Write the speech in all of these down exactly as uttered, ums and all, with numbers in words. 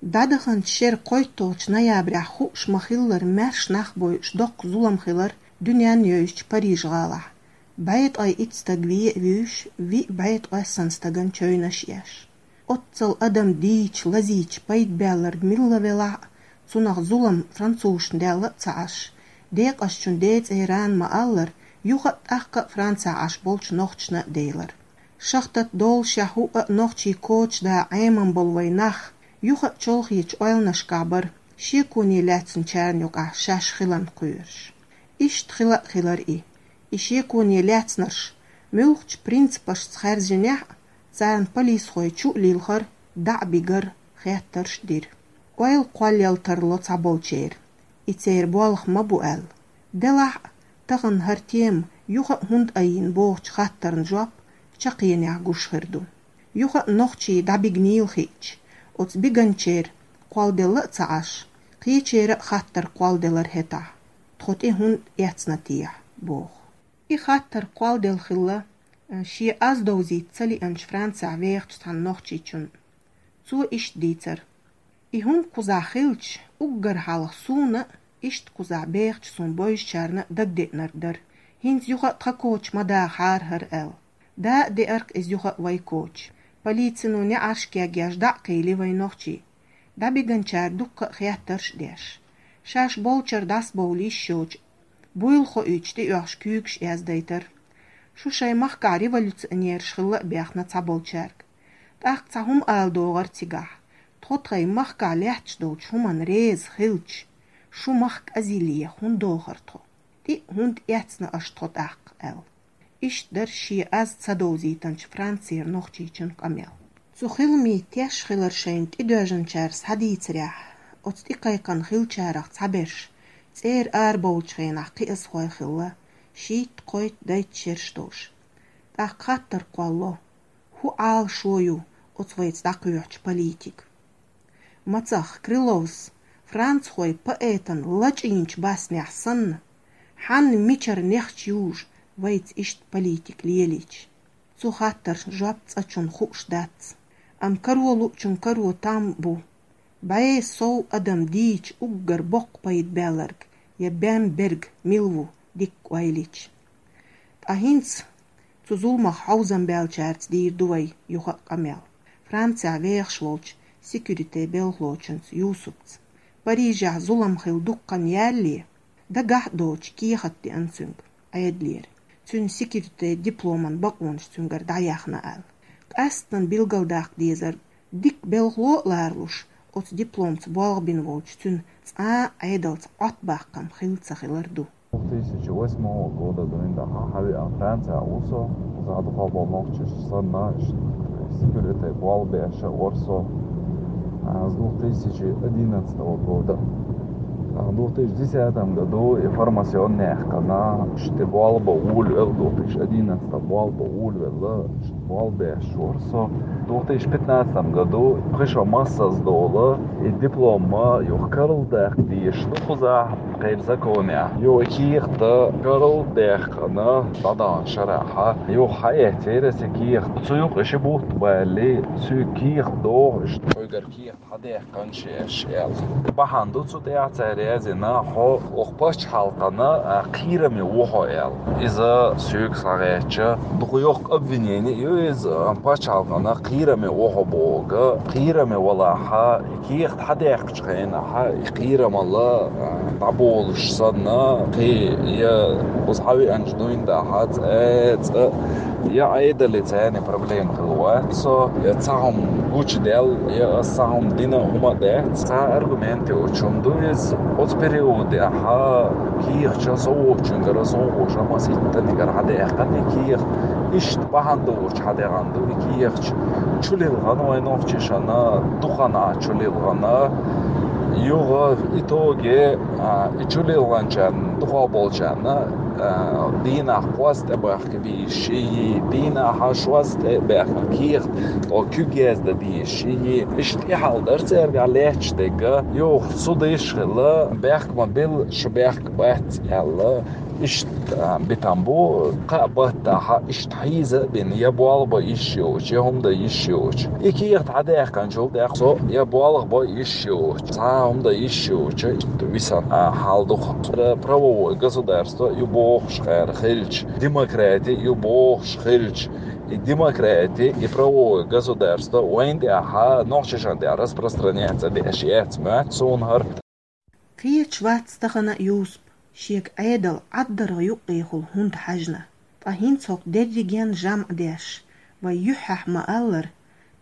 ДӀадаханчу шеран кхойтталгӀачу ноябрехь хууш ма-хиллара, маьрша нах бойуш доккха зулам хилар дуьненна йовзачу Париж-гӀалахь. БӀе ткъе итт стаг вен а вуьйш, виъ бӀе ткъе сан стагана чевнаш еш. Оццул адам дийча, лазийча пайда баьлларг милла велахь а, цунах зулам французашна даьлла а ца Ӏаш, декъашчун ден цӀеран ма-аллара, юха а тӀаккха а Францехь Ӏаш болчу нохчашна а делара. Шахтат доллушехь хӀуъа а нохчий коча да Ӏеман болу вайн нах, юха а чолхечу ойланашкахь бара, шеконе лаьцначарна юкъахь шаьш хиларна кхоьруш. Иштта хила а хилар и. И шеконе лаьцнарш муьлхачу принципашца хаьржинехь а, царна полисхой чу а лилхар, дӀа а бигар, хеттарш а дира. Ойла кхоллал тарло цхьаболчеран, и церан болх ма бу аьлла. Делахь а, тахана хӀара тема юха а хӀунда айина бохучу хаттарна жоп чаккхенехь гуш хир ду. Юха а нохчий дӀабигнийла хиъча, оцу биганчеран кхолладелла а ца Ӏаш, кхечеран а хаттар кхолладелара хӀетахь, тхо тӀе хӀунда эцна техьа, боху. И хаттар кхолладелла хилла, шен аз довзийта ца лиъначу Францехь вехачу цхьана нохчичунна. Цо иштта дийцара: «И хӀума кхузахь хилча, уггар хьалха суна а, иштта кхузахь бехачу суна бовзучарна а дагадеънарг дара. ХӀинца юха а тхан коча ма дахахьара хӀара», — аьлла. Да а деара-кх иза юха а вай коча. Полицино неӀарш кегъеш дӀа а кхийли вай нохчий. ДӀабиганчара дуккха а хеттарш а деш. Шаьш болчара дӀасабовла йиш йоцуш, буйла хоуьйтуш тӀеоьхуш куьйгаш яздайтара. Шу шайн махкахь революционераш хилла а бехна цхьаболчаьрга. ТӀаккха цхьа хӀума ала догӀура цигахь: «Тхо тхайн махкахь лаьтташ долчу хӀуманна реза хилча, шун махка азиле хӀунда дохура тхо? ТӀе а хӀунда эцна аша тхо тӀаккха?» — аьлла. Иштта дара шен аз ца довзийтинчу Францера нохчичун къамел. Цу хиламийн теш хилар шайна тӀедоьжначара схьадийцарехь, оцу тӀекхайкхина хиллачарах цхьаберш цӀера арабовлучу хенахь кхиазхой хилла, шийтта-кхойтта, дейтта шераш долуш. ТӀаккха хаттар кхолло: «ХӀун Ӏалашо ю оцу вайца дӀакхоьхьучу политикан? Мацах, Крыловс францхойн поэтан лачкъийначу баснехь санна, хьанна, мичара нехча южу вайца иштта политика лелийча?» Цу хаттарна жоп цкъачунна хууш дац. Амма каро луучун каро там бу. БӀе сов адам дийча уггар боккха пайда баьлларг я бен берг мила ву дикка ойла йича? Ткъа хӀинца цу зуламах хьовзам баьллачаьрца дийр ду вай юха а къамел. Францехь вехаш волчу секьюритен белхалочунца Юсупца. Парижехь зулам хилла дуккха хан ялале, дагахь а доцуш кехат деана цуьнга Ӏедалера, цуьнан секьюритен дипломан бакъонаш цуьнгара дӀаяьхна аьлла. Къаьсттина билгалдаккха дезара, дика белхало а ларалуш, оцу дипломца болх бина волчу цуьнан цкъа а Ӏедалца Ӏоттабаккхам хилла ца хилар ду. Двух тысячи восьмого года дуьйна дахьа хьан веана Францехь ву со, за дукха бо нохчаш санна, секьюритен болх беш а вара со. А с двух тысячи одиннадцатого года. А в двух тысячи десятом году информационная хкана, что болба улвел, двух тысячи одиннадцатом болба улвела, что болба шур со. В двух тысячи пятнадцатом году пхи шо массаза дола и диплом ма юха карладаккха дезаш ду кхузахь, кхеран законехь. Юха и кехат карладаьккхина, дӀадаханчу шарахь, юха хьаэцнера аса и кехат. Цу юкъа ши бутт балале, соьга кехат дохуш, хьоьгара кехат хьадаьккхина шаьш аьлла. Бахьана ду цу тӀехь цара яздина, хьо оха пачхьалкхана, а, кхераме ву хьо аьлла. Иза соьга схьагӀертача, дукха йоккха обвинение ю иза, пачхьалкхана кхераме ву хьо бохург, кхераме валахь, и кехат хьадаьккхинчу хенахь, и кхерамалла, а, дӀаболуш санна, кхин я кхуза хьан веанчу дуьйна дахьа цӀа, цӀа, я Ӏедалца цхьаьна проблема хилла вац со, я цхьа хӀума гучудаьлла, я аса цхьа хӀума дина хӀума а дац. Цхьа аргумент йоцуш хӀума ду иза. Оцу периодехь кехаташ со воцучуьнгара, со вовшахмас иттанигара хьадаьккхина и кехат. Иштта бахьана долуш хьадаьккхина ду и кехаташ. Чулилхина вайн нохчашна, дукха хан чулилхина. Юха итоге, а, и чулилхинчарна, дукха болчарна, а, дийнахь кхозза тӀебахка дезаш йий, дийнахь шозза тӀебаьхна кехат, тхо куьг яздан дезаш йий. Иштта и хьал дара цаьргахь лаьтташ дерг. Юха суд йиш хилла, бехк ма билла, шу бехк бац аьлла. Иштта битам бу, кхаа баттахьа иштта хьийза а бина, я болх бан йиш йоцуш, я хӀума дан йиш йоцуш. И кехат хьадаьккханчул тӀехьа со я болх бан йиш йоцуш, цхьа а хӀума дан йиш йоцуш, иштта висина хьал ду-кх. Правовое государство ю бохуш кхара хилча, демократи ю бохуш хилча, и демократи, и правовое государство вайна тӀехьа, нохчашна тӀехьа распространяться деш яц моьтту суна хӀара. Кхеча вац тахана Юсуп, шега Ӏедал ӀаддаргӀа юккъехула хӀунда хьаьжна. Ткъа хӀинца хӀокху дерриген жамӀ деш, вай юьххьехь ма-аллара,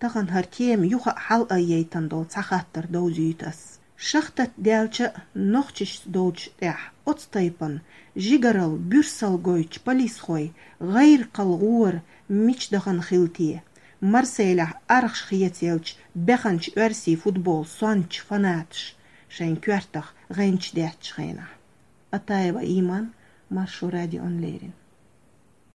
тахана хӀара тема юха а хьалаайъайтана долу цхьа хаттар довзуьйту ас. Шахтат даьлча а, нохчашца долчу тӀехь оцу тайпана жигарал, буьрсал гойтучу полисхой гӀайракхал гӀора мича дахана хила те, Марселехь аргӀаш хецаелча беханчу оьрсийн футбол сончу фанаташ шайн коьртах гӀенча деттачу хенахь. Атаева Иман, Маршо радиона леррина.